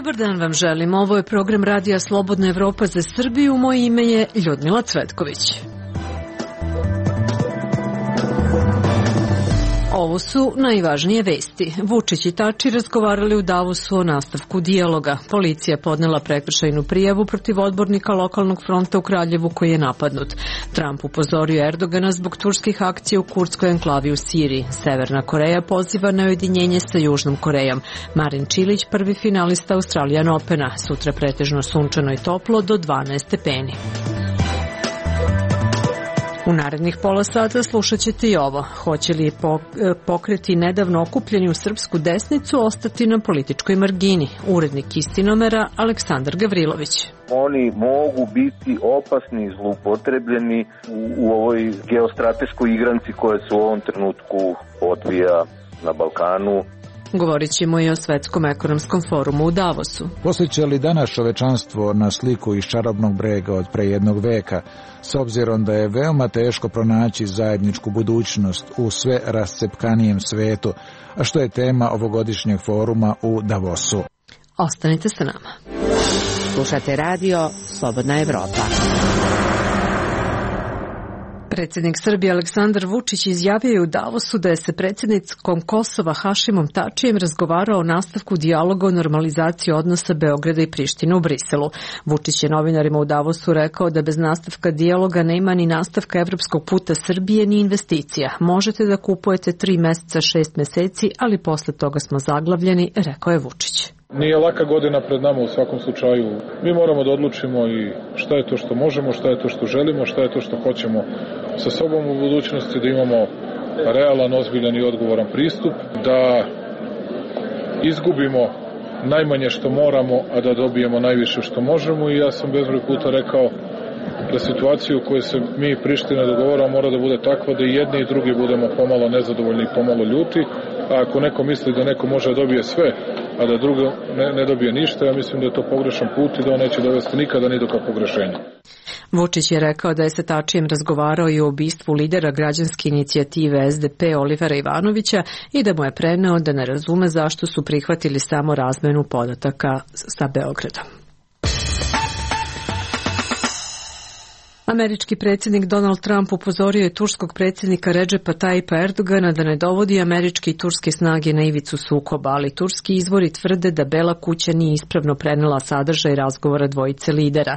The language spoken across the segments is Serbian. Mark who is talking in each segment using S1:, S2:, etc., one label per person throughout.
S1: Dobar dan vam želim. Ovo je program Radija Slobodna Evropa za Srbiju. Moje ime je Ljudmila Cvetković. Ovo su najvažnije vesti. Vučić i Tači razgovarali u Davosu o nastavku dijaloga. Policija podnela prekršajnu prijavu protiv odbornika lokalnog fronta u Kraljevu koji je napadnut. Trump upozorio Erdogana zbog turskih akcija u kurdskoj enklavi u Siriji. Severna Koreja poziva na ujedinjenje sa Južnom Korejom. Marin Čilić, prvi finalista Australian Opena. Sutra pretežno sunčano i toplo do 12 stepeni. U narednih pola sata slušat ćete i ovo. Hoće li pokreti nedavno okupljeni u srpsku desnicu ostati na političkoj margini? Urednik Istinomera Aleksandar Gavrilović.
S2: Oni mogu biti opasni i zloupotrebljeni u ovoj geostrateškoj igranci koja se u ovom trenutku odvija na Balkanu.
S1: Govorit ćemo i o Svetskom ekonomskom forumu u Davosu.
S3: Posjeća li danas čovečanstvo na sliku iz čarobnog brega od pre jednog veka, s obzirom da je veoma teško pronaći zajedničku budućnost u sve rascepkanijem svetu, a što je tema ovogodišnjeg foruma u Davosu.
S1: Ostanite sa nama.
S4: Slušate radio Slobodna Evropa.
S1: Predsjednik Srbije Aleksandar Vučić izjavio je u Davosu da je sa predsjednikom Kosova Hašimom Tačijem razgovarao o nastavku dijaloga o normalizaciji odnosa Beograda i Prištine u Briselu. Vučić je novinarima u Davosu rekao da bez nastavka dijaloga nema ni nastavka evropskog puta Srbije ni investicija. Možete da kupujete 3 meseca, 6 meseci, ali posle toga smo zaglavljeni, rekao je Vučić.
S5: Nije laka godina pred nama u svakom slučaju. Mi moramo da odlučimo i šta je to što možemo, šta je to što želimo, šta je to što hoćemo sa sobom u budućnosti, da imamo realan, ozbiljan i odgovoran pristup, da izgubimo najmanje što moramo, a da dobijemo najviše što možemo. I ja sam bezbroj puta rekao da situacija u kojoj se mi i Priština dogovaramo mora da bude takva da i jedni i drugi budemo pomalo nezadovoljni i pomalo ljuti, a ako neko misli da neko može da dobije sve, a da drugo ne dobije ništa, ja mislim da je to pogrešan put i da on neće dovesti nikada ni do kakvog rešenja.
S1: Vučić je rekao da je sa Tačijem razgovarao i o ubistvu lidera građanske inicijative SDP Olivera Ivanovića i da mu je preneo da ne razume zašto su prihvatili samo razmenu podataka sa Beogradom. Američki predsjednik Donald Trump upozorio je turskog predsjednika Redžepa Tayyipa Erdogana da ne dovodi američke i turske snage na ivicu sukoba, ali turski izvori tvrde da Bela kuća nije ispravno prenela sadržaj razgovora dvojice lidera.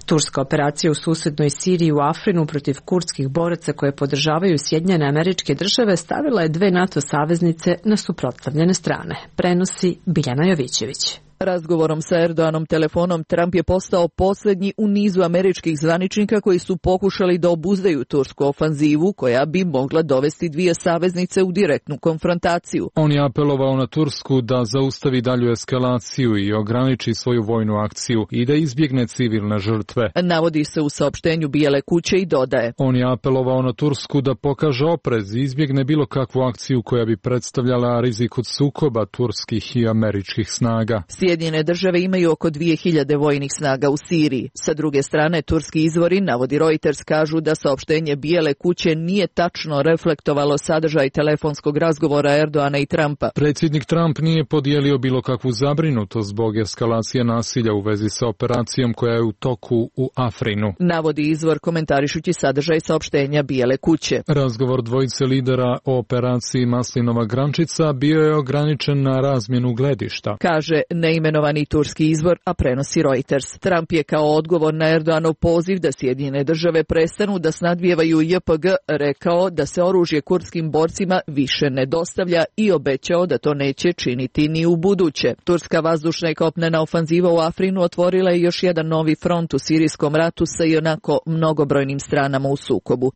S1: Turska operacija u susednoj Siriji u Afrinu protiv kurdskih boraca koje podržavaju Sjedinjene Američke Države stavila je 2 NATO saveznice na suprotstavljene strane. Prenosi Biljana Jovićević.
S6: Razgovorom sa Erdoganom telefonom Trump je postao posljednji u nizu američkih zvaničnika koji su pokušali da obuzdaju tursku ofanzivu koja bi mogla dovesti 2 saveznice u direktnu konfrontaciju.
S7: On je apelovao na Tursku da zaustavi dalju eskalaciju i ograniči svoju vojnu akciju i da izbjegne civilne žrtve.
S6: Navodi se u saopštenju Bijele kuće i dodaje.
S7: On je apelovao na Tursku da pokaže oprez i izbjegne bilo kakvu akciju koja bi predstavljala rizik od sukoba turskih i američkih snaga.
S6: Sjedinjene države imaju oko 2000 vojnih snaga u Siriji. Sa druge strane, turski izvori, navodi Reuters, kažu da saopštenje Bijele kuće nije tačno reflektovalo sadržaj telefonskog razgovora Erdogana i Trumpa.
S7: Predsjednik Trump nije podijelio bilo kakvu zabrinutost zbog eskalacije nasilja u vezi sa operacijom koja je u toku u Afrinu.
S6: Navodi izvor komentarišući sadržaj saopštenja Bijele kuće.
S7: Razgovor dvojice lidera o operaciji Maslinova grančica bio je ograničen na razmjenu gledišta.
S6: Kaže neimenovani turski izvor, a prenosi Reuters. Trump je kao odgovor na Erdoganov poziv da Sjedinjene države prestanu da snadvijevaju JPG rekao da se oružje kurdskim borcima više ne dostavlja i obećao da to neće činiti ni u buduće. Turska vazdušna i kopnena ofanziva u Afrinu otvorila je još jedan novi front u sirijskom ratu sa ionako mnogobrojnim stranama u sukobu.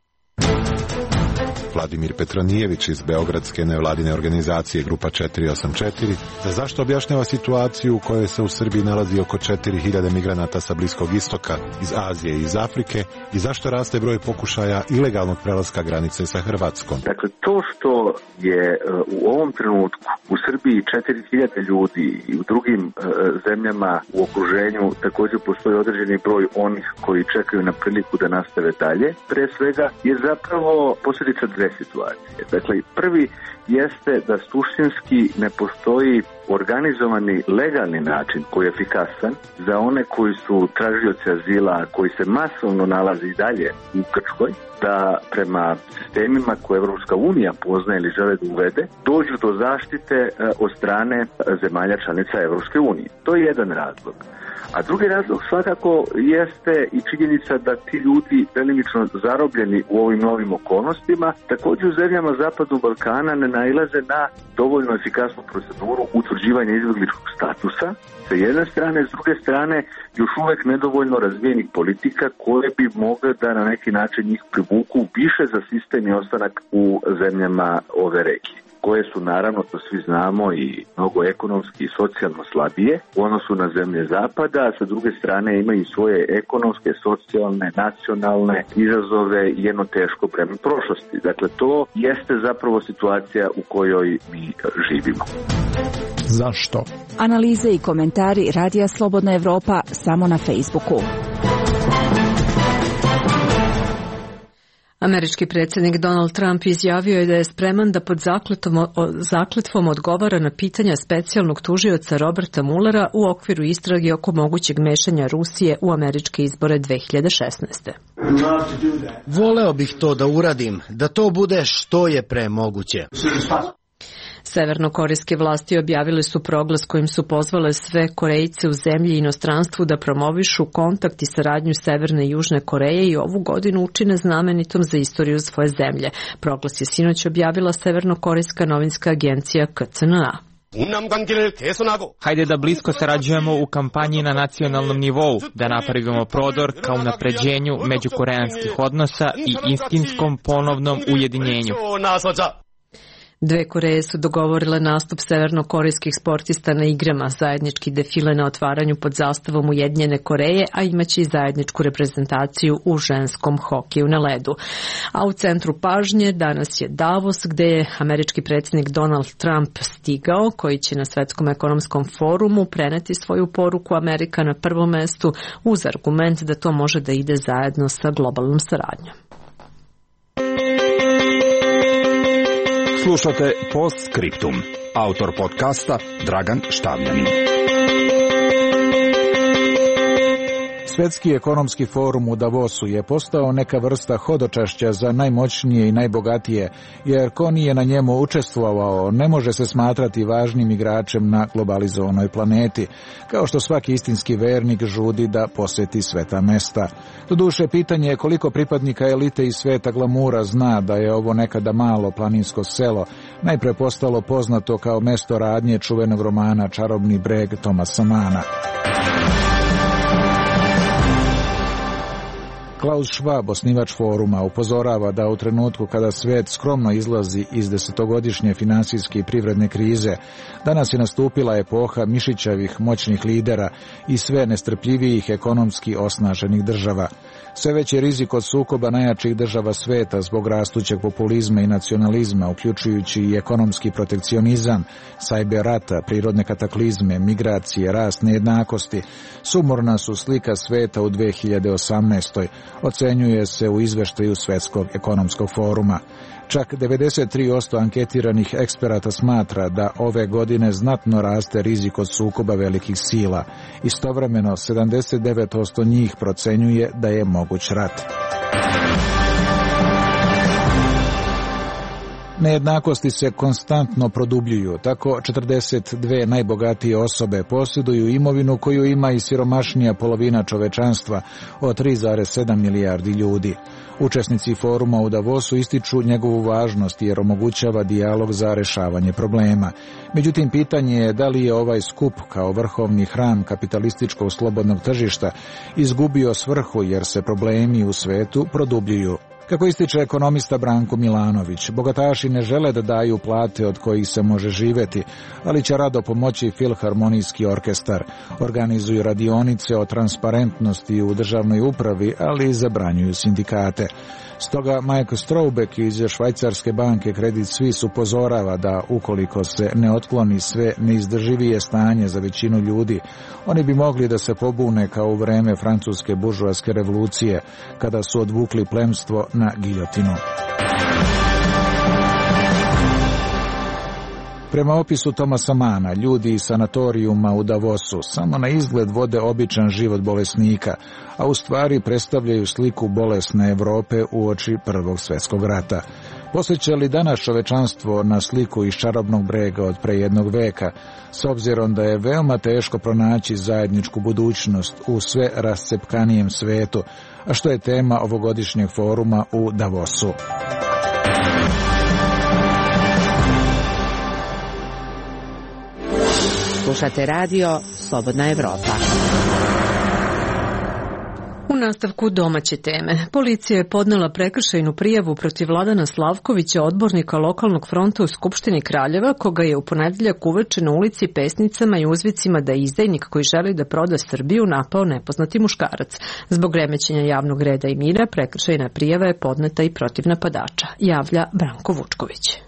S8: Vladimir Petronijević iz beogradske nevladine organizacije Grupa 484 za zašto objašnjava situaciju u kojoj se u Srbiji nalazi oko 4000 migranata sa Bliskog istoka, iz Azije i iz Afrike i zašto raste broj pokušaja ilegalnog prelaska granice sa Hrvatskom.
S2: Dakle, to što je u ovom trenutku u Srbiji 4000 ljudi i u drugim zemljama u okruženju također postoji određeni broj onih koji čekaju na priliku da nastave dalje, pre svega je zapravo posljedica dve situacije. Dakle, prvi jeste da suštinski ne postoji organizovani legalni način koji je efikasan za one koji su tražioci azila, koji se masovno nalaze i dalje u Grčkoj, da prema sistemima koje Evropska unija poznaje ili žele da uvede, dođu do zaštite od strane zemalja članica Evropske unije. To je jedan razlog. A drugi razlog svakako jeste i činjenica da ti ljudi delimično zarobljeni u ovim novim okolnostima, također u zemljama Zapadnog Balkana ne nailaze na dovoljno efikasnu proceduru utvrđivanja izbjegličkog statusa sa jedne strane, s druge strane još uvek nedovoljno razvijenih politika koje bi mogle da na neki način njih privuku više za sistem i ostanak u zemljama ove regije, koje su naravno, to svi znamo, i mnogo ekonomski i socijalno slabije u odnosu na zemlje Zapada, a sa druge strane imaju i svoje ekonomske, socijalne, nacionalne izazove i jedno teško breme prošlosti. Dakle, to jeste zapravo situacija u kojoj mi živimo.
S9: Zašto?
S10: Analize i komentari Radija Slobodna Evropa samo na Facebooku.
S1: Američki predsjednik Donald Trump izjavio je da je spreman da pod zakletvom odgovara na pitanja specijalnog tužioca Roberta Muellera u okviru istrage oko mogućeg mešanja Rusije u američke izbore 2016.
S11: Voleo bih to da uradim, da to bude što je pre moguće.
S1: Severnokorejske vlasti objavile su proglas kojim su pozvale sve Korejce u zemlji i inostranstvu da promovišu kontakt i saradnju Severne i Južne Koreje i ovu godinu učine znamenitom za istoriju svoje zemlje. Proglas je sinoć objavila Severnokorejska novinska agencija KCNA.
S12: Hajde da blisko sarađujemo u kampanji na nacionalnom nivou, da napravimo prodor ka unapređenju međukoreanskih odnosa i istinskom ponovnom ujedinjenju.
S1: Dve Koreje su dogovorile nastup severnokorejskih sportista na igrama, zajednički defile na otvaranju pod zastavom Ujedinjene Koreje, a imaće i zajedničku reprezentaciju u ženskom hokeju na ledu. A u centru pažnje danas je Davos, gde je američki predsjednik Donald Trump stigao, koji će na Svetskom ekonomskom forumu preneti svoju poruku Amerika na prvom mestu uz argument da to može da ide zajedno sa globalnom saradnjom.
S13: Slušate Postscriptum. Autor podcasta Dragan Štavljanin.
S3: Svetski ekonomski forum u Davosu je postao neka vrsta hodočašća za najmoćnije i najbogatije, jer ko nije na njemu učestvovao ne može se smatrati važnim igračem na globalizovanoj planeti, kao što svaki istinski vernik žudi da posjeti sveta mesta. Doduše, pitanje je koliko pripadnika elite iz sveta glamura zna da je ovo nekada malo planinsko selo, najpre postalo poznato kao mesto radnje čuvenog romana Čarobni breg Thomasa Manna. Klaus Schwab, osnivač foruma, upozorava da u trenutku kada svijet skromno izlazi iz desetogodišnje finansijske i privredne krize, danas je nastupila epoha mišićavih moćnih lidera i sve nestrpljivijih ekonomski osnaženih država. Sve veći rizik od sukoba najjačih država sveta zbog rastućeg populizma i nacionalizma, uključujući i ekonomski protekcionizam, sajbe rata, prirodne kataklizme, migracije, rast nejednakosti, sumorna su slika sveta u 2018. Ocenjuje se u izveštaju Svetskog ekonomskog foruma. Čak 93% anketiranih eksperata smatra da ove godine znatno raste rizik od sukoba velikih sila. Istovremeno 79% njih procenjuje da je moguć rat. Nejednakosti se konstantno produbljuju, tako 42 najbogatije osobe posjeduju imovinu koju ima i siromašnija polovina čovečanstva od 3,7 milijardi ljudi. Učesnici foruma u Davosu ističu njegovu važnost jer omogućava dijalog za rešavanje problema. Međutim, pitanje je da li je ovaj skup kao vrhovni hram kapitalističkog slobodnog tržišta izgubio svrhu jer se problemi u svetu produbljuju. Kako ističe ekonomista Branko Milanović, bogataši ne žele da daju plate od kojih se može živeti, ali će rado pomoći Filharmonijski orkestar. Organizuju radionice o transparentnosti u državnoj upravi, ali i zabranjuju sindikate. Stoga Mike Strobeck iz švajcarske banke Credit Suisse upozorava da ukoliko se ne otkloni sve neizdrživije stanje za većinu ljudi, oni bi mogli da se pobune kao u vreme francuske buržoaske revolucije, kada su odvukli plemstvo na giljotinu. Prema opisu Tomasa Mana, ljudi iz sanatorijuma u Davosu samo na izgled vode običan život bolesnika, a u stvari predstavljaju sliku bolesne Evrope uoči Prvog svjetskog rata. Posjeća li danas čovečanstvo na sliku iz Čarobnog brega od pre jednog veka, s obzirom da je veoma teško pronaći zajedničku budućnost u sve rascepkanijem svetu, a što je tema ovogodišnjeg foruma u Davosu.
S4: Slušate radio Slobodna Evropa.
S1: U nastavku domaće teme. Policija je podnela prekršajnu prijavu protiv Vladana Slavkovića, odbornika lokalnog fronta u Skupštini Kraljeva, koga je u ponedeljak uveče na ulici pesnicama i uzvicima da je izdajnik koji želi da proda Srbiju napao nepoznati muškarac. Zbog remećenja javnog reda i mira, prekršajna prijava je podneta i protiv napadača, javlja Branko Vučković.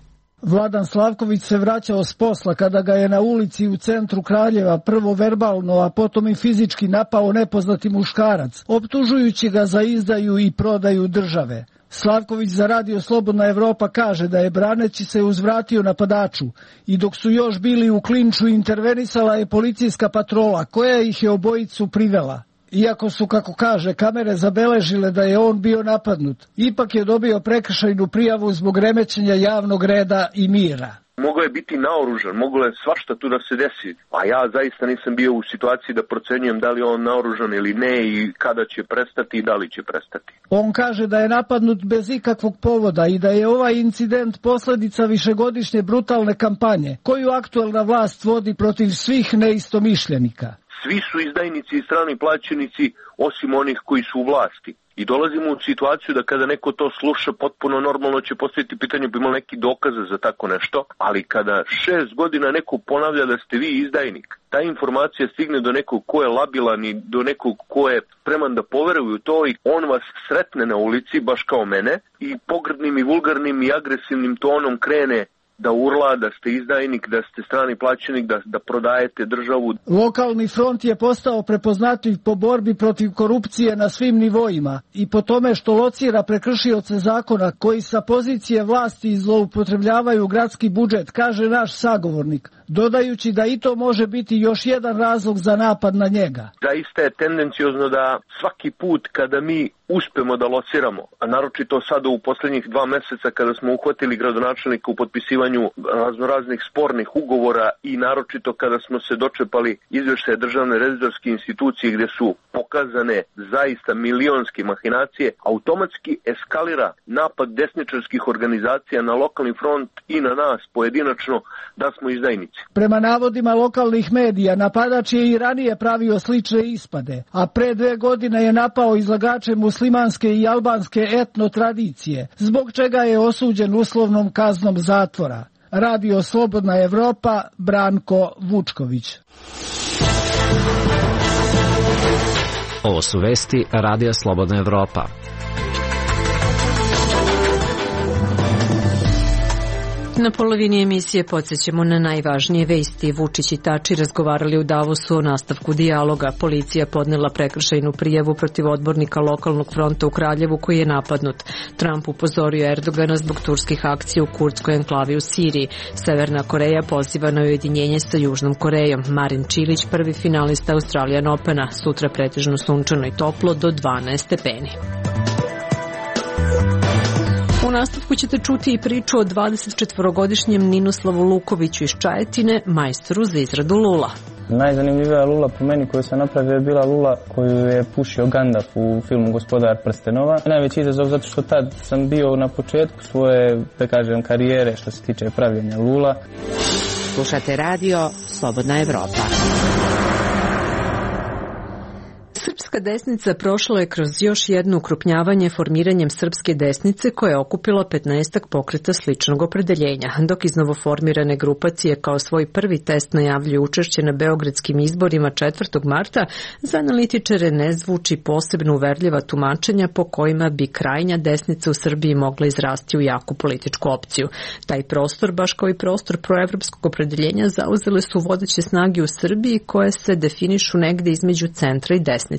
S14: Vladan Slavković se vraćao s posla kada ga je na ulici u centru Kraljeva prvo verbalno, a potom i fizički napao nepoznati muškarac, optužujući ga za izdaju i prodaju države. Slavković za radio Slobodna Evropa kaže da je braneći se uzvratio napadaču i dok su još bili u klinču intervenisala je policijska patrola koja ih je obojicu privela. Iako su, kako kaže, kamere zabeležile da je on bio napadnut, ipak je dobio prekršajnu prijavu zbog remećenja javnog reda i mira.
S15: Mogao je biti naoružan, moglo je svašta tu da se desi, a ja zaista nisam bio u situaciji da procenjujem da li je on naoružan ili ne i kada će prestati i da li će prestati.
S14: On kaže da je napadnut bez ikakvog povoda i da je ovaj incident posljedica višegodišnje brutalne kampanje koju aktuelna vlast vodi protiv svih neistomišljenika.
S15: Svi su izdajnici i strani plaćenici osim onih koji su u vlasti. I dolazimo u situaciju da kada neko to sluša, potpuno normalno će postaviti pitanje bi imali neki dokaze za tako nešto, ali kada 6 godina neko ponavlja da ste vi izdajnik, ta informacija stigne do nekog ko je labilan i do nekog ko je spreman da poveruje u to i on vas sretne na ulici, baš kao mene, i pogrdnim i vulgarnim i agresivnim tonom krene da urla, da ste izdajnik, da ste strani plaćenik, da prodajete državu.
S14: Lokalni front je postao prepoznatljiv po borbi protiv korupcije na svim nivoima i po tome što locira prekršioce zakona koji sa pozicije vlasti zloupotrebljavaju gradski budžet, kaže naš sagovornik, dodajući da i to može biti još jedan razlog za napad na njega.
S15: Zaista je tendenciozno da svaki put kada mi uspemo da lociramo, a naročito sada u posljednjih 2 meseca kada smo uhvatili gradonačelnika u potpisivanju raznoraznih spornih ugovora i naročito kada smo se dočepali izveštaja Državne revizorske institucije gdje su pokazane zaista milionske mahinacije, automatski eskalira napad desničarskih organizacija na lokalni front i na nas pojedinačno da smo izdajnici.
S14: Prema navodima lokalnih medija, napadač je i ranije pravio slične ispade, a pre 2 godine je napao izlagače muslimanske i albanske etno tradicije, zbog čega je osuđen uslovnom kaznom zatvora. Radio Slobodna Evropa, Branko Vučković.
S16: Ovo su vesti Radija Slobodna Evropa.
S1: Na polovini emisije podsjećamo na najvažnije vesti. Vučić i Tači razgovarali u Davosu o nastavku dijaloga. Policija podnela prekršajnu prijavu protiv odbornika lokalnog fronta u Kraljevu koji je napadnut. Trump upozorio Erdogana zbog turskih akcija u kurdskoj enklavi u Siriji. Severna Koreja poziva na ujedinjenje sa Južnom Korejom. Marin Čilić, prvi finalista Australian Opena. Sutra pretežno sunčano i toplo do 12 stepeni. U nastavku ćete čuti i priču o 24-godišnjem Ninoslavu Lukoviću iz Čajetine, majstoru za izradu lula.
S17: Najzanimljivija lula po meni koju sam napravio je bila lula koju je pušio Gandalf u filmu Gospodar prstenova. Najveći izazov zato što tad sam bio na početku svoje, da kažem, karijere što se tiče pravljenja lula.
S4: Slušate radio Slobodna Evropa.
S1: Srpska desnica prošla je kroz još jedno ukrupnjavanje formiranjem Srpske desnice koja je okupila 15 pokreta sličnog opredeljenja, dok iz novoformirane grupacije kao svoj prvi test najavljuju učešće na beogradskim izborima 4. marta, za analitičare ne zvuči posebno uverljiva tumačenja po kojima bi krajnja desnica u Srbiji mogla izrasti u jaku političku opciju. Taj prostor, baš kao i prostor proevropskog opredeljenja, zauzele su vodeće snage u Srbiji koje se definišu negde između centra i desnice.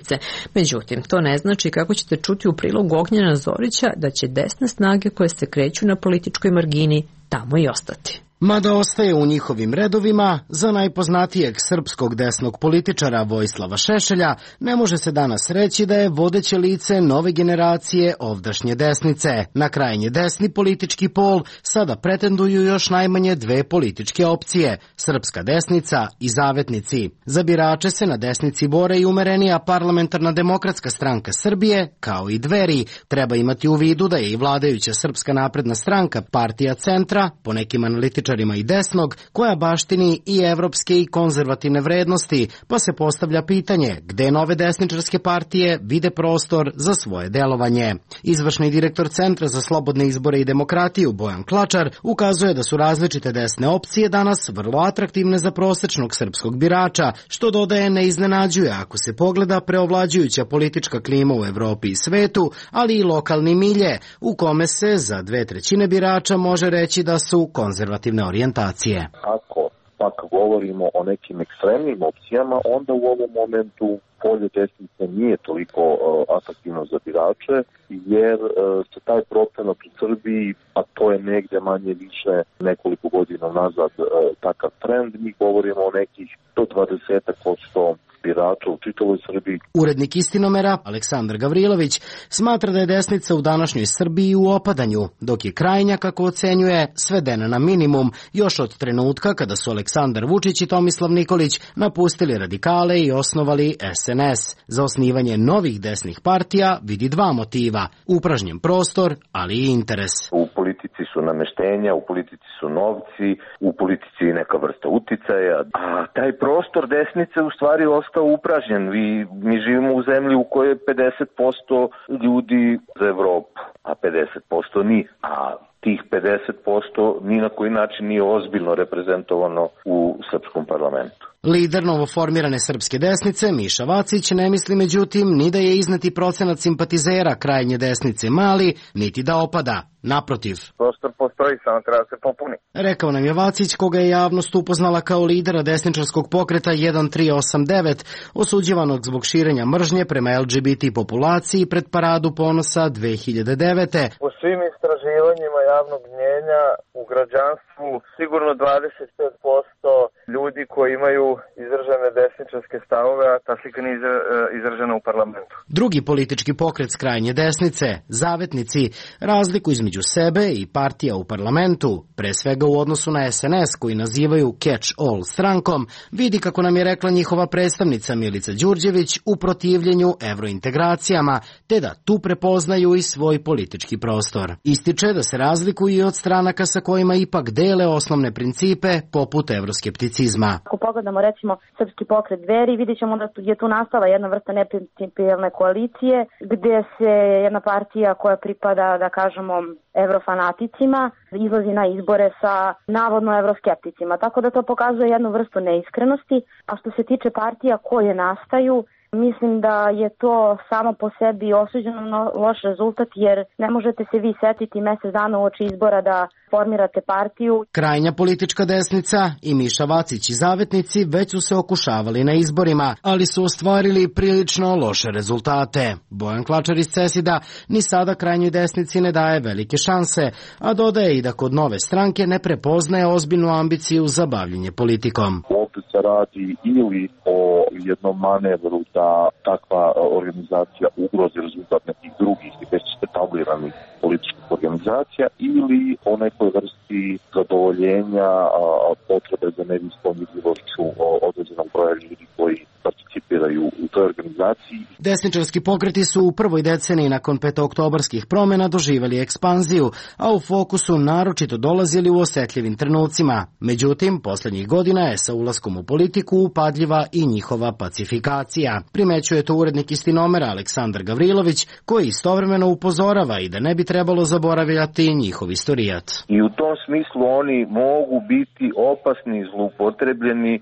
S1: Međutim, to ne znači, kako ćete čuti u prilogu Ognjena Zorića, da će desne snage koje se kreću na političkoj margini tamo i ostati.
S11: Mada ostaje u njihovim redovima, za najpoznatijeg srpskog desnog političara Vojislava Šešelja ne može se danas reći da je vodeće lice nove generacije ovdašnje desnice. Na krajnje desni politički pol sada pretenduju još najmanje dve političke opcije, srpska desnica i zavetnici. Za birače se na desnici bore i umerenija Parlamentarna demokratska stranka Srbije, kao i Dveri. Treba imati u vidu da je i vladajuća Srpska napredna stranka partija centra, po nekim analitičarima i desnog, koja baštini i evropske i konzervativne vrednosti, pa se postavlja pitanje gde nove desničarske partije vide prostor za svoje delovanje. Izvršni direktor Centra za slobodne izbore i demokratiju Bojan Klačar ukazuje da su različite desne opcije danas vrlo atraktivne za prosečnog srpskog birača, što dodaje ne iznenađuje ako se pogleda preovlađujuća politička klima u Evropi i svetu, ali i lokalni milje, u kome se za 2/3 birača može reći da su konzervativne orijentacije.
S18: Ako pak govorimo o nekim ekstremnim opcijama, onda u ovom momentu polje desnice nije toliko atraktivno za birače, jer se taj procenat u Srbiji, a to je negdje manje više nekoliko godina nazad takav trend, mi govorimo o nekih do 20% birača u čitavoj Srbiji.
S11: Urednik Istinomera, Aleksandar Gavrilović, smatra da je desnica u današnjoj Srbiji u opadanju, dok je krajnja, kako ocenjuje, svedena na minimum još od trenutka kada su Aleksandar Vučić i Tomislav Nikolić napustili radikale i osnovali SNS. Za osnivanje novih desnih partija vidi dva motiva, upražnjen prostor, ali i interes.
S18: U politici su nameštenja, u politici su novci, u politici je neka vrsta uticaja, a taj prostor desnice u stvari ostao upražnjen. Mi živimo u zemlji u kojoj je 50% ljudi za Evropu, a 50% nije. A tih 50% ni na koji način nije ozbiljno reprezentovano u srpskom parlamentu.
S11: Lider novoformirane srpske desnice, Miša Vacić, ne misli međutim ni da je izneti procenat simpatizera krajnje desnice mali, niti da opada. Naprotiv.
S19: Prostor postoji, samo treba se popuni.
S11: Rekao nam je Vacić, koga je javnost upoznala kao lidera desničarskog pokreta 1389, osuđivanog zbog širenja mržnje prema LGBT populaciji pred Paradu ponosa 2009.
S19: Po svim istraživanjima javnog mnjenja u građanstvu sigurno 25% ljudi koji imaju izražene desničarske stavove, a ta slika nije izražena u parlamentu.
S11: Drugi politički pokret s krajnje desnice, zavetnici, razliku između sebe i partija u parlamentu, pre svega u odnosu na SNS koji nazivaju catch-all strankom, vidi, kako nam je rekla njihova predstavnica Milica Đurđević, u protivljenju evrointegracijama, te da tu prepoznaju i svoj politički prostor. Ističe da se razlikuju i od stranaka sa kojima ipak dele osnovne principe poput evroskepticizma.
S20: Ako pogledamo recimo Srpski pokret Dveri, vidjet ćemo da je tu nastala jedna vrsta neprincipijelne koalicije, gdje se jedna partija koja pripada, da kažemo, evrofanaticima izlazi na izbore sa navodno evroskepticima. Tako da to pokazuje jednu vrstu neiskrenosti. A što se tiče partija koje nastaju, mislim da je to samo po sebi osuđeno na loš rezultat, jer ne možete se vi setiti mjesec dana uoči izbora da formirate partiju.
S11: Krajnja politička desnica i Miša Vacić i zavetnici već su se okušavali na izborima, ali su ostvarili prilično loše rezultate. Bojan Klačar iz CESID-a ni sada krajnjoj desnici ne daje velike šanse, a dodaje i da kod nove stranke ne prepoznaje ozbiljnu ambiciju za bavljenje politikom.
S18: Ovdje se radi ili o jednom manevru da takva organizacija ugrozi rezultat nekih drugih i već etabliranih političkih organizacija, ili o nekoj vrsti zadovoljenja potrebe za medijskom vidljivošću određenog broja ljudi koji participiraju u toj organizaciji.
S11: Desničarski pokreti su u prvoj deceniji nakon petooktobarskih promjena doživjeli ekspanziju, a u fokusu naročito dolazili u osetljivim trenucima. Međutim, posljednjih godina je sa ulaskom u politiku upadljiva i njihova pacifikacija. Primećuje to urednik Istinomera Aleksandar Gavrilović, koji istovremeno upozorava i da ne bi trebalo zaboravljati njihov istorijat.
S18: I u tom smislu oni mogu biti opasni i zloupotrebljeni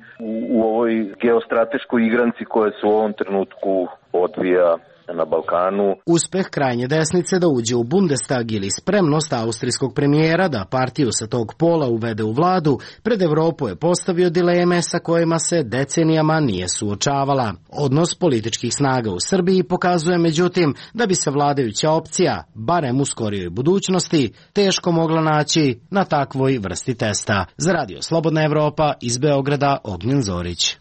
S18: u ovoj geostrateškoj igranci koja se u ovom trenutku odvija na Balkanu.
S11: Uspeh krajnje desnice da uđe u Bundestag ili spremnost austrijskog premijera da partiju sa tog pola uvede u vladu, pred Evropu je postavio dileme sa kojima se decenijama nije suočavala. Odnos političkih snaga u Srbiji pokazuje međutim da bi se vladajuća opcija, barem u skorijoj budućnosti, teško mogla naći na takvoj vrsti testa. Za Radio Slobodna Evropa iz Beograda, Ognjen Zorić.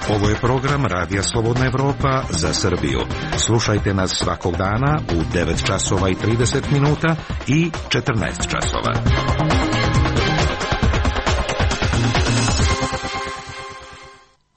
S13: Ovo je program Radija Slobodna Evropa za Srbiju. Slušajte nas svakog dana u 9 časova i 30 minuta i 14 časova.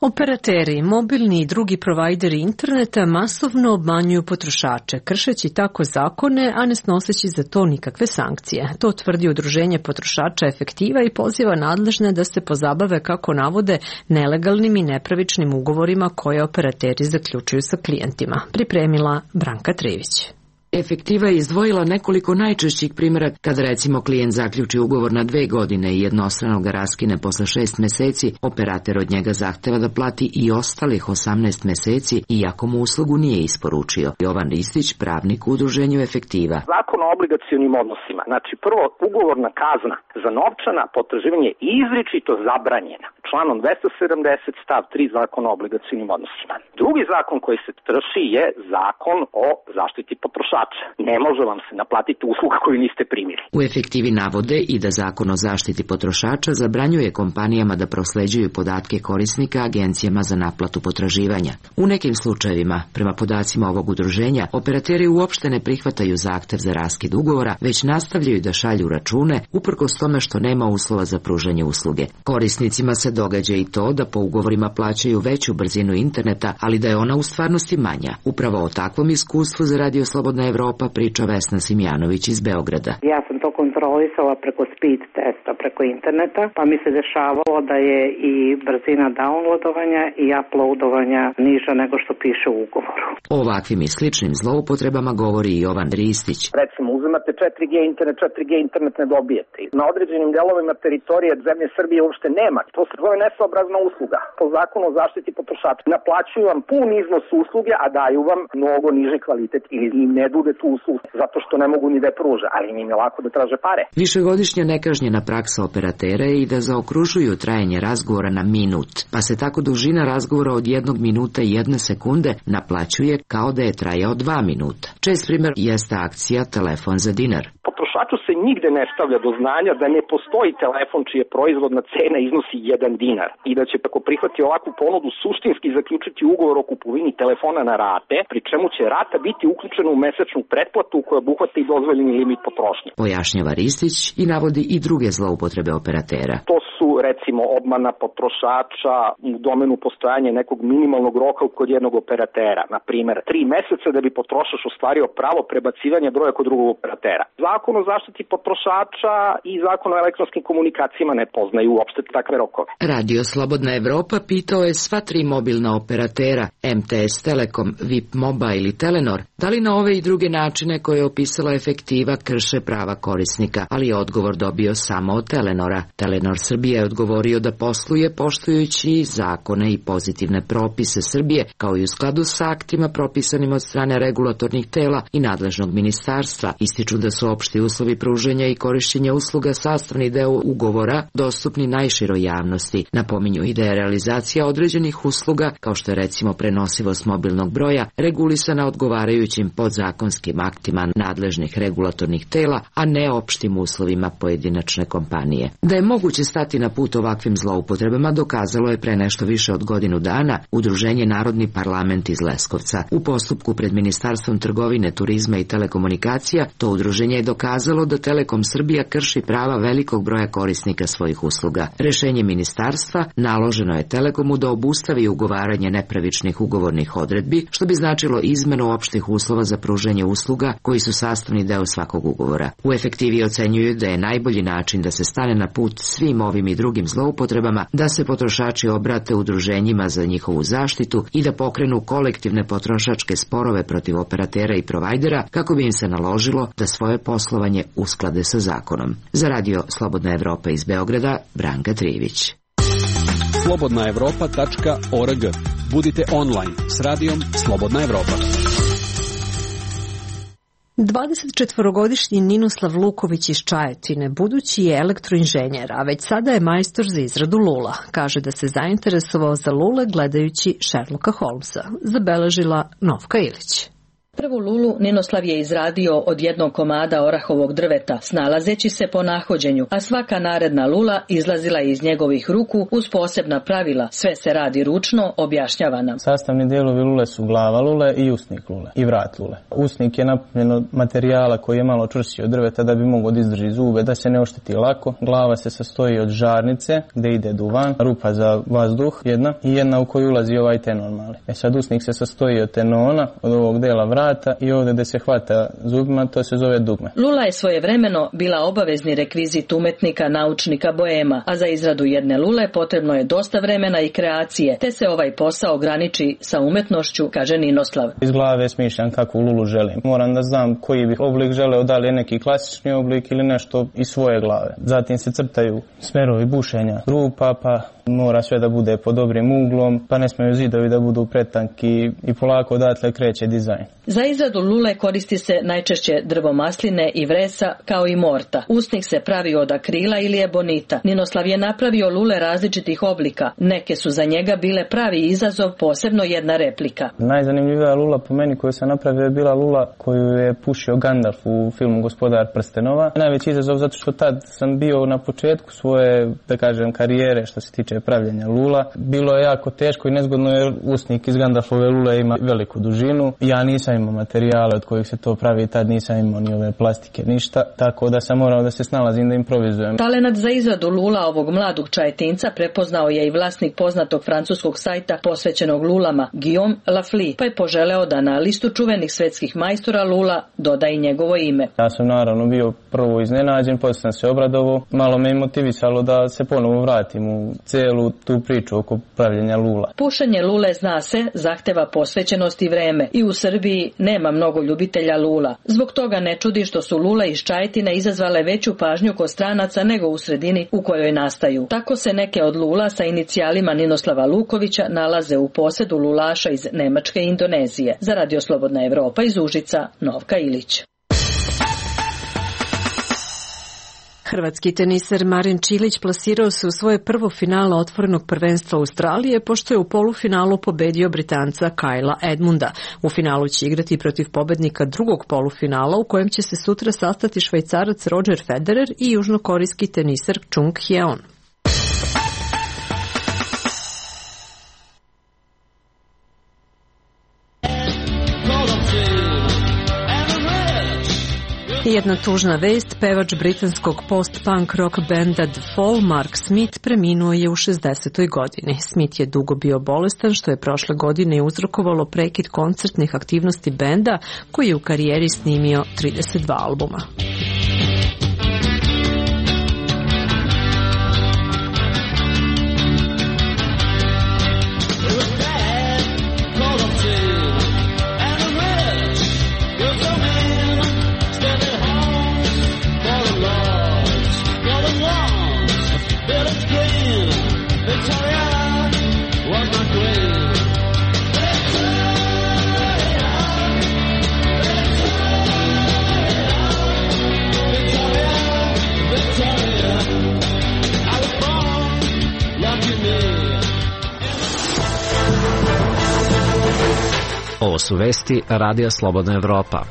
S1: Operateri, mobilni i drugi provajderi interneta masovno obmanjuju potrošače, kršeći tako zakone, a ne snoseći za to nikakve sankcije. To tvrdi Udruženje potrošača Efektiva i poziva nadležne da se pozabave, kako navode, nelegalnim i nepravičnim ugovorima koje operateri zaključuju sa klijentima. Pripremila Branka Trivić.
S21: Efektiva je izdvojila nekoliko najčešćih primjera kada recimo klijent zaključi ugovor na 2 godine i jednostrano ga raskine posle 6 meseci, operater od njega zahteva da plati i ostalih 18 meseci iako mu uslugu nije isporučio. Jovan Ristić, pravnik u Udruženju Efektiva.
S22: Zakon o obligacionim odnosima, znači prvo ugovorna kazna za novčana potraživanje je izričito zabranjena članom 270 stav 3 Zakona o obligacionim odnosima. Drugi zakon koji se krši je Zakon o zaštiti potrošača. Ne može vam se naplatiti usluga koju niste primili.
S21: U Efektivi navode i da Zakon o zaštiti potrošača zabranjuje kompanijama da prosleđuju podatke korisnika agencijama za naplatu potraživanja. U nekim slučajevima, prema podacima ovog udruženja, operateri uopšte ne prihvataju zahtev za raskid ugovora, već nastavljaju da šalju račune uprkos tome što nema uslova za pružanje usluge. Korisnicima se događa i to da po ugovorima plaćaju veću brzinu interneta, ali da je ona u stvarnosti manja. Upravo o takvom iskustvu za Radio Slobodna Evropa priča Vesna Simjanović iz Beograda.
S23: Ja sam to kontrolisala preko speed testa, preko interneta, pa mi se dešavalo da je i brzina downloadovanja i uploadovanja niža nego što piše u ugovoru.
S21: O ovakvim i sličnim zloupotrebama govori i Jovan Ristić.
S22: Recimo, uzimate 4G internet ne dobijete. Na određenim delovima teritorije zemlje Srbije uopšte nema. To se zove nesaobrazna usluga. Po zakonu o zaštiti potrošača naplaćuju vam pun iznos usluge, a daju vam mnogo niži kvalitet ili im ne nude tu uslugu zato što ne mogu ni da je pruže, ali im je lako da traže pare.
S21: Višegodišnja nekažnjena praksa operatera je i da zaokružuju trajanje razgovora na minut, pa se tako dužina razgovora od 1 minuta i 1 sekunde naplaćuje kao da je trajao 2 minuta. Čest primjer jeste akcija Telefon za dinar.
S22: Potrošaču se nigde ne stavlja do znanja da ne postoji telefon čija proizvodna cena iznosi 1 dinar i da će tako prihvati ovakvu ponudu suštinski zaključiti ugovor o kupovini telefona na rate, pri čemu će rata biti uključena u mesečnu pretplatu koja obuhvata i dozvoljeni limit potrošnje.
S21: Pojašnjava Ristić i navodi i druge zloupotrebe operatera.
S22: To su recimo obmana potrošača u domenu postojanja nekog minimalnog roka kod jednog operatera, na primer 3 meseca da bi potrošač ostvario pravo prebacivanja broja kod drugog operatera. Zakon o zaštiti potrošača i Zakon o elektronskim komunikacijama ne poznaju uopšte takve rokove.
S21: Radio Slobodna Evropa pitao je sva 3 mobilna operatera, MTS Telekom, VIP Mobile ili Telenor, da li na ove i druge načine koje je opisala Efektiva krše prava korisnika, ali je odgovor dobio samo od Telenora. Telenor Srbije je odgovorio da posluje poštujući zakone i pozitivne propise Srbije, kao i u skladu sa aktima propisanim od strane regulatornih tela i nadležnog ministarstva. Ističu da su opšti uslovi pruženja i korišćenja usluga sastavni deo ugovora dostupni najširoj javnosti. Napominju i da je realizacija određenih usluga, kao što je recimo prenosivost mobilnog broja, regulisana odgovarajućim podzakonskim aktima nadležnih regulatornih tela, a ne opštim uslovima pojedinačne kompanije. Da je moguće stati na put ovakvim zloupotrebama dokazalo je pre nešto više od godinu dana Udruženje Narodni parlament iz Leskovca. U postupku pred Ministarstvom trgovine, turizma i telekomunikacija to udruženje je dokazalo da Telekom Srbija krši prava velikog broja korisnika svojih usluga. Rešenje ministarstva naloženo je Telekomu da obustavi ugovaranje nepravičnih ugovornih odredbi, što bi značilo izmenu opštih uslova za pružanje usluga koji su sastavni deo svakog ugovora. U Efektivi ocenjuju da je najbolji način da se stane na put svim ovim i drugim zloupotrebama, da se potrošači obrate udruženjima za njihovu zaštitu i da pokrenu kolektivne potrošačke sporove protiv operatera i provajdera kako bi im se naložilo da svoje poslovanje usklade sa zakonom. Za Radio Slobodna Evropa iz Beograda, Branka Trivić.
S24: slobodnaevropa.org
S5: Budite online s radijom Slobodna Evropa.
S1: 24-godišnji Ninoslav Luković iz Čajetine budući je elektroinženjer, a već sada je majstor za izradu lula. Kaže da se zainteresovao za lule gledajući Sherlocka Holmesa. Zabeležila Novka Ilić.
S6: Prvu lulu Ninoslav je izradio od jednog komada orahovog drveta, snalazeći se po nahođenju, a svaka naredna lula izlazila iz njegovih ruku uz posebna pravila. Sve se radi ručno, objašnjava nam.
S17: Sastavni dijelovi lule su glava lule i usnik lule i vrat lule. Usnik je napunjen od materijala koji je malo čvršći od drveta da bi mogao da izdrži zube, da se ne ošteti lako. Glava se sastoji od žarnice gde ide duvan, rupa za vazduh jedna i jedna u koju ulazi ovaj tenor mali. Sad usnik se sastoji od tenona, od ovog dela vrata i ovdje gde se hvata zubima, to se zove dugme.
S6: Lula je svojevremeno bila obavezni rekvizit umetnika, naučnika, boema, a za izradu jedne lule potrebno je dosta vremena i kreacije, te se ovaj posao ograniči sa umetnošću, kaže Ninoslav.
S17: Iz glave smišljam kakvu lulu želim. Moram da znam koji bih oblik želeo, da li je neki klasični oblik ili nešto iz svoje glave. Zatim se crtaju smerovi bušenja rupa, pa mora sve da bude pod dobrim uglom, pa ne smiju zidovi da budu pretanki i polako odatle kreće dizajn.
S6: Za izradu lule koristi se najčešće drvo masline i vresa kao i morta. Usnik se pravi od akrila ili ebonita. Ninoslav je napravio lule različitih oblika. Neke su za njega bile pravi izazov, posebno jedna replika.
S17: Najzanimljivija lula po meni koju sam napravio je bila lula koju je pušio Gandalf u filmu Gospodar prstenova. Najveći izazov zato što tad sam bio na početku svoje, da kažem, karijere što se tiče pravljenja lula. Bilo je jako teško i nezgodno jer usnik iz Gandalfove lule ima veliku dužinu. Ja nisam imao materijale od kojih se to pravi, tad nisam imao ni ove plastike, ništa, tako da sam morao da se snalazim, da improvizujem.
S6: Talenat za izradu lula ovog mladog Čajetinca prepoznao je i vlasnik poznatog francuskog sajta posvećenog lulama, Guillaume Lafley, pa je poželeo da na listu čuvenih svetskih majstora lula doda i njegovo ime.
S17: Ja sam naravno bio prvo iznenađen, poslije sam se obradovao, malo me motivisalo da se ponovo vratim u celu tu priču oko pravljenja lula.
S6: Pušenje lule, zna se, zahteva posvećenost i vreme i u Srbiji nema mnogo ljubitelja lula. Zbog toga ne čudi što su lule iz Čajetine izazvale veću pažnju kod stranaca nego u sredini u kojoj nastaju. Tako se neke od lula sa inicijalima Ninoslava Lukovića nalaze u posedu lulaša iz Nemačke i Indonezije. Za Radio Slobodna Evropa iz Užica, Novka Ilić.
S1: Hrvatski teniser Marin Čilić plasirao se u svoje prvo finale otvorenog prvenstva Australije, pošto je u polufinalu pobedio Britanca Kyla Edmunda. U finalu će igrati protiv pobednika drugog polufinala, u kojem će se sutra sastati Švajcarac Roger Federer i južnokorejski teniser Chung Hyeon. Jedna tužna vest, pevač britanskog post-punk rock benda The Fall, Mark Smith, preminuo je u 60. godini. Smith je dugo bio bolestan, što je prošle godine uzrokovalo prekid koncertnih aktivnosti benda, koji je u karijeri snimio 32 albuma.
S16: Ovo su vesti Radija Slobodna Evropa.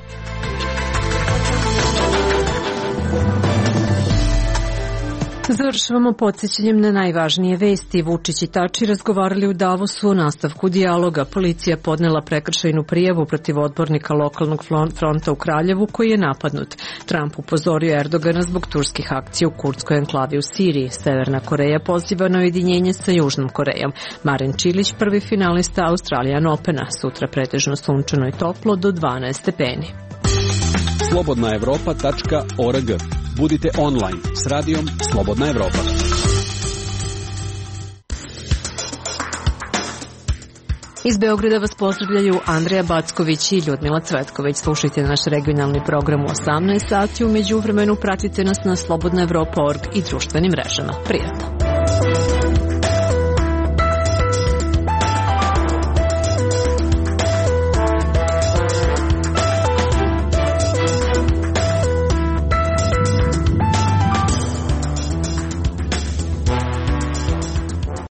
S1: Završavamo podsjećanjem na najvažnije vesti. Vučić i Tači razgovarali u Davosu o nastavku dijaloga. Policija podnela prekršajnu prijavu protiv odbornika lokalnog fronta u Kraljevu koji je napadnut. Trump upozorio Erdogana zbog turskih akcija u kurdskoj enklavi u Siriji. Severna Koreja poziva na ujedinjenje sa Južnom Korejom. Marin Čilić, prvi finalista Australian Opena. Sutra pretežno sunčano i toplo do 12 stepeni.
S5: slobodnaevropa.org. Budite online s radijom Slobodna Evropa.
S1: Iz Beograda vas pozdravljaju Andreja Backović i Ljudmila Cvetković. Slušajte naš regionalni program u 18 sati. U međuvremenu pratite nas na slobodnaevropa.org i društvenim mrežama. Prijatno!